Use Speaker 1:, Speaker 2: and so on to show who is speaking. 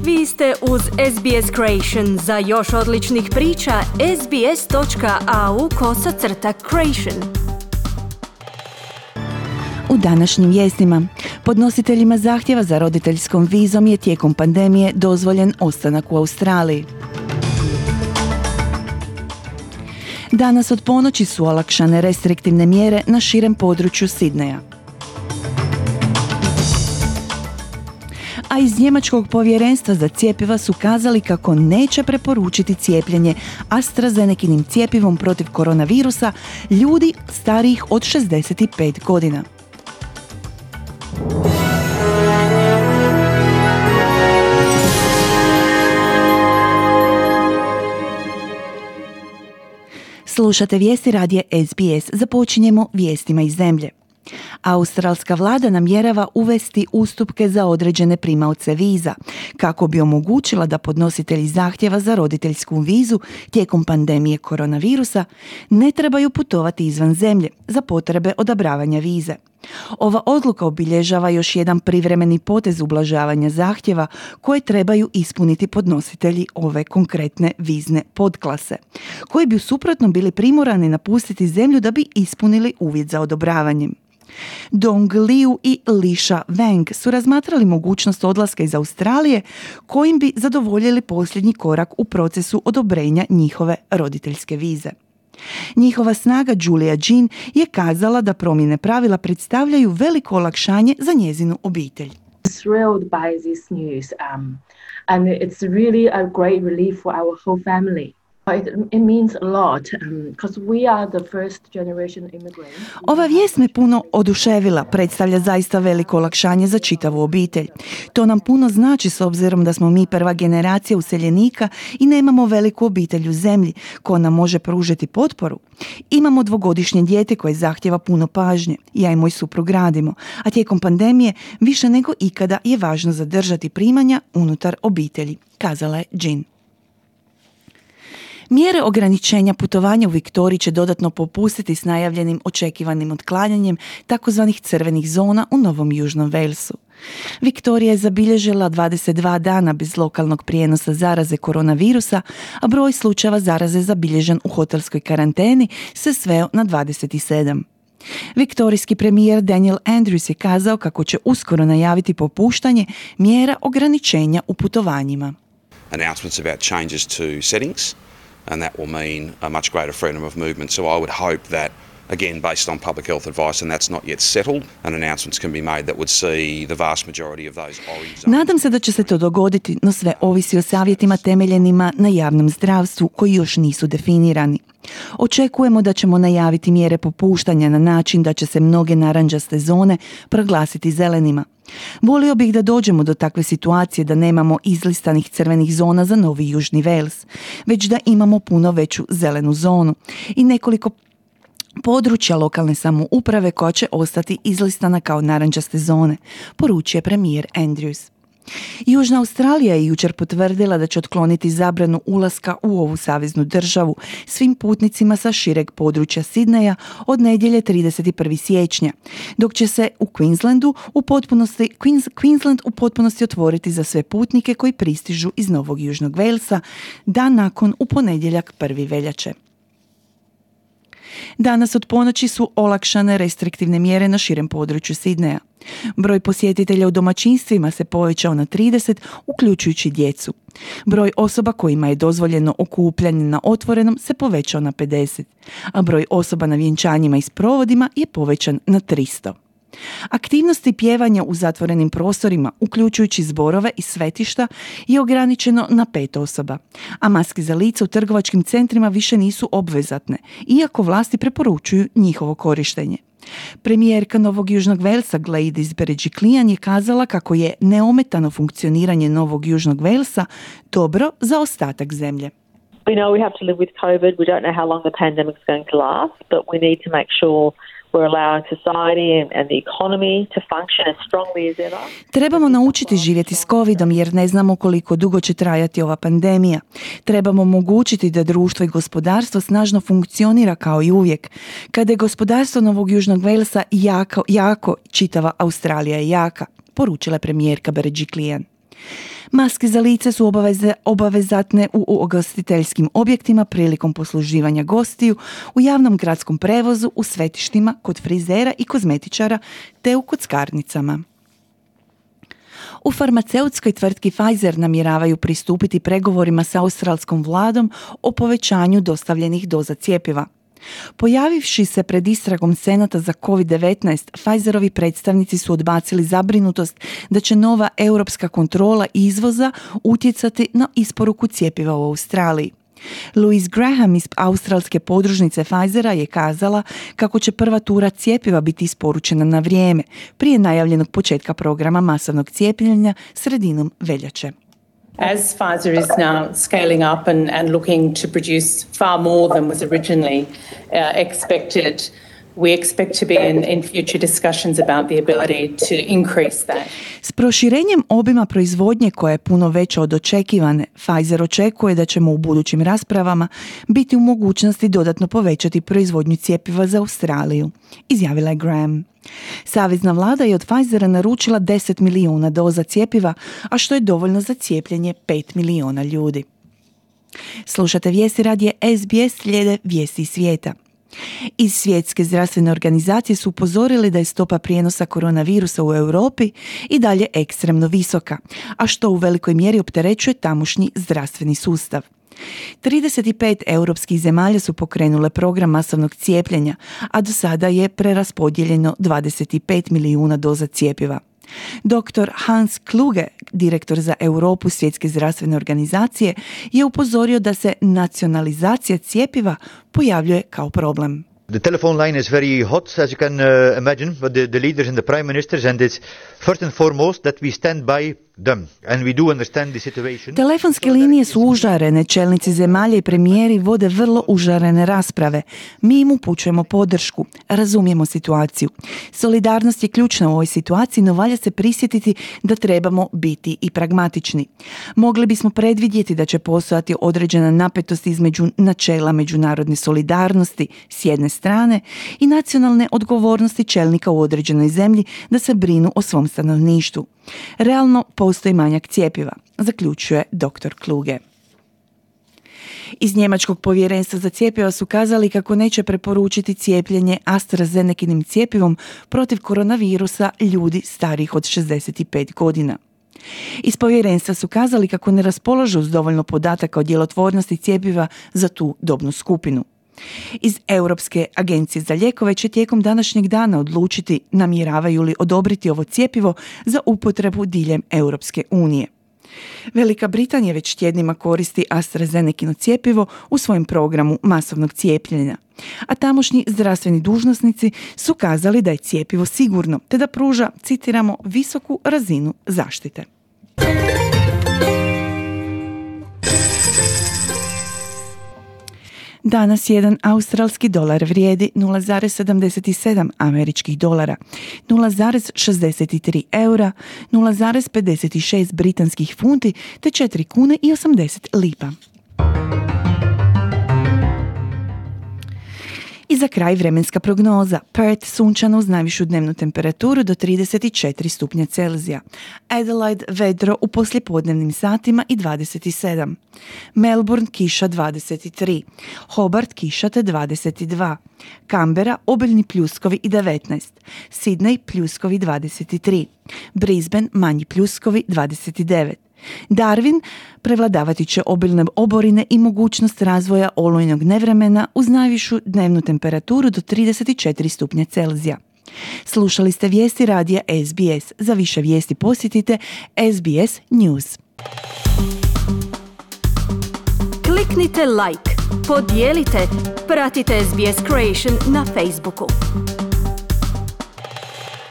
Speaker 1: Vi ste uz SBS Creation. Za još odličnih priča, sbs.au/creation.
Speaker 2: U današnjim vijestima, podnositeljima zahtjeva za roditeljskom vizom je tijekom pandemije dozvoljen ostanak u Australiji. Danas od ponoći su olakšane restriktivne mjere na širem području Sidneja. A iz njemačkog povjerenstva za cjepiva su kazali kako neće preporučiti cijepljenje AstraZenekinim cjepivom protiv koronavirusa ljudi starijih od 65 godina. Slušate vijesti radija SBS. Započinjemo vijestima iz zemlje. Australska vlada namjerava uvesti ustupke za određene primaoce viza, kako bi omogućila da podnositelji zahtjeva za roditeljsku vizu tijekom pandemije koronavirusa ne trebaju putovati izvan zemlje za potrebe odabravanja vize. Ova odluka obilježava još jedan privremeni potez ublažavanja zahtjeva koje trebaju ispuniti podnositelji ove konkretne vizne podklase, koji bi u suprotnom bili primorani napustiti zemlju da bi ispunili uvjet za odobravanjem. Dong Liu i Lisha Wang su razmatrali mogućnost odlaska iz Australije kojim bi zadovoljili posljednji korak u procesu odobrenja njihove roditeljske vize. Njihova snaga Julia Jean je kazala da promjene pravila predstavljaju veliko olakšanje za njezinu obitelj.
Speaker 3: Thrilled by this news, and it's really a great relief for our whole family. It means a lot because we are the first generation immigrants.
Speaker 2: Ova vijest me puno oduševila, predstavlja zaista veliko olakšanje za čitavu obitelj. To nam puno znači s obzirom da smo mi prva generacija useljenika i nemamo veliku obitelj u zemlji koja nam može pružiti potporu. Imamo 2-godišnje dijete koje zahtjeva puno pažnje. Ja i moj suprug radimo, a tijekom pandemije više nego ikada je važno zadržati primanja unutar obitelji, kazala je Jean. Mjere ograničenja putovanja u Viktoriji će dodatno popustiti s najavljenim očekivanim otklanjanjem takozvanih crvenih zona u Novom Južnom Walesu. Viktorija je zabilježila 22 dana bez lokalnog prijenosa zaraze koronavirusa, a broj slučajeva zaraze zabilježen u hotelskoj karanteni se sveo na 27. Viktorijski premijer Daniel Andrews je kazao kako će uskoro najaviti popuštanje mjera ograničenja u putovanjima.
Speaker 4: Announcements about changes to settings. And that will mean a much greater freedom of movement. So I would hope that, again, based on public health advice, and that's not yet settled, and announcements can be made that would see the vast majority of those orange zones.
Speaker 2: Nadam se da će se to dogoditi, no sve ovisi o savjetima temeljenima na javnom zdravstvu koji još nisu definirani. Očekujemo da ćemo najaviti mjere popuštanja na način da će se mnoge narančaste zone proglasiti zelenima. Volio bih da dođemo do takve situacije da nemamo izlistanih crvenih zona za Novi Južni Wales, već da imamo puno veću zelenu zonu i nekoliko područja lokalne samouprave koja će ostati izlistana kao narančaste zone, poručuje premijer Andrews. Južna Australija je jučer potvrdila da će otkloniti zabranu ulaska u ovu saveznu državu svim putnicima sa šireg područja Sidneja od nedjelje 31. siječnja, dok će se u Queensland u potpunosti otvoriti za sve putnike koji pristižu iz Novog Južnog Walesa dan nakon u ponedjeljak 1. veljače. Danas od ponoći su olakšane restriktivne mjere na širem području Sidneja. Broj posjetitelja u domaćinstvima se povećao na 30, uključujući djecu. Broj osoba kojima je dozvoljeno okupljanje na otvorenom se povećao na 50, a broj osoba na vjenčanjima i sprovodima je povećan na 300. Aktivnosti pjevanja u zatvorenim prostorima, uključujući zborove i svetišta, je ograničeno na 5 osoba, a maske za lice u trgovačkim centrima više nisu obvezatne, iako vlasti preporučuju njihovo korištenje. Premijerka Novog Južnog Walesa Gladys Berejiklian je kazala kako je neometano funkcioniranje Novog Južnog Walesa dobro za ostatak zemlje.
Speaker 5: We know we have to live with COVID. We don't know how long the pandemic is going to last, but we need to make sure we're allowing society and the economy to function as strongly as ever.
Speaker 2: Trebamo naučiti živjeti s covidom jer ne znamo koliko dugo će trajati ova pandemija. Trebamo omogućiti da društvo i gospodarstvo snažno funkcionira kao i uvijek. Kada je gospodarstvo Novog Južnog Walesa jako, čitava Australija je jaka, poručila premijerka Berejiklian. Maske za lice su obavezatne u ugostiteljskim objektima prilikom posluživanja gostiju, u javnom gradskom prevozu, u svetištima, kod frizera i kozmetičara te u kockarnicama. U farmaceutskoj tvrtki Pfizer namjeravaju pristupiti pregovorima sa australskom vladom o povećanju dostavljenih doza cjepiva. Pojavivši se pred istragom Senata za COVID-19, Pfizerovi predstavnici su odbacili zabrinutost da će nova europska kontrola izvoza utjecati na isporuku cjepiva u Australiji. Louise Graham iz australske podružnice Pfizera je kazala kako će prva tura cjepiva biti isporučena na vrijeme, prije najavljenog početka programa masovnog cijepljenja sredinom veljače.
Speaker 6: As Pfizer is now scaling up and looking to produce far more than was originally expected, we expect to be in future discussions about the ability to increase that.
Speaker 2: S proširenjem obima proizvodnje koja je puno veća od očekivane, Pfizer očekuje da ćemo u budućim raspravama biti u mogućnosti dodatno povećati proizvodnju cjepiva za Australiju, izjavila je Graham. Savezna vlada je od Pfizera naručila 10 milijuna doza cjepiva, a što je dovoljno za cijepljenje 5 milijuna ljudi. Slušate vijesti radija SBS, slijede vijesti iz svijeta. Iz Svjetske zdravstvene organizacije su upozorili da je stopa prijenosa koronavirusa u Europi i dalje ekstremno visoka, a što u velikoj mjeri opterećuje tamošnji zdravstveni sustav. 35 europskih zemalja su pokrenule program masovnog cijepljenja, a do sada je preraspodijeljeno 25 milijuna doza cjepiva. Dr. Hans Kluge, direktor za Europu Svjetske zdravstvene organizacije, je upozorio da se nacionalizacija cjepiva pojavljuje kao problem.
Speaker 7: The telephone line is very hot, as you can imagine, with the leaders and the prime ministers, and it's first and foremost that we stand by them, and we do understand the situation.
Speaker 2: Telefonske linije su užarene, čelnici zemalja i premijeri vode vrlo užarene rasprave. Mi im upućujemo podršku, razumijemo situaciju. Solidarnost je ključna u ovoj situaciji, no valja se prisjetiti da trebamo biti i pragmatični. Mogli bismo predvidjeti da će postojati određena napetost između načela međunarodne solidarnosti s jedne strane i nacionalne odgovornosti čelnika u određenoj zemlji da se brinu o svom stanovništvu. Realno postoji manjak cjepiva, zaključuje dr. Kluge. Iz njemačkog povjerenstva za cjepiva su kazali kako neće preporučiti cijepljenje AstraZenekinim cjepivom protiv koronavirusa ljudi starijih od 65 godina. Iz povjerenstva su kazali kako ne raspolažu s dovoljno podataka o djelotvornosti cjepiva za tu dobnu skupinu. Iz Europske agencije za lijekove će tijekom današnjeg dana odlučiti namjeravaju li odobriti ovo cjepivo za upotrebu diljem Europske unije. Velika Britanija već tjednima koristi AstraZenekino cjepivo u svojem programu masovnog cijepljenja, a tamošnji zdravstveni dužnosnici su kazali da je cjepivo sigurno te da pruža, citiramo, visoku razinu zaštite. Danas jedan australski dolar vrijedi 0,77 američkih dolara, 0,63 eura, 0,56 britanskih funti te 4 kune i 80 lipa. I za kraj vremenska prognoza. Perth sunčano uz najvišu dnevnu temperaturu do 34 stupnja Celzija. Adelaide vedro u poslijepodnevnim satima i 27. Melbourne kiša 23. Hobart kiša te 22. Canberra obiljni pljuskovi i 19. Sydney pljuskovi 23. Brisbane manji pljuskovi 29. Darwin prevladavati će obilne oborine i mogućnost razvoja olujnog nevremena uz najvišu dnevnu temperaturu do 34 stupnja Celzija. Slušali ste vijesti radija SBS. Za više vijesti posjetite SBS News.
Speaker 1: Kliknite like, podijelite, pratite SBS Creation na Facebooku.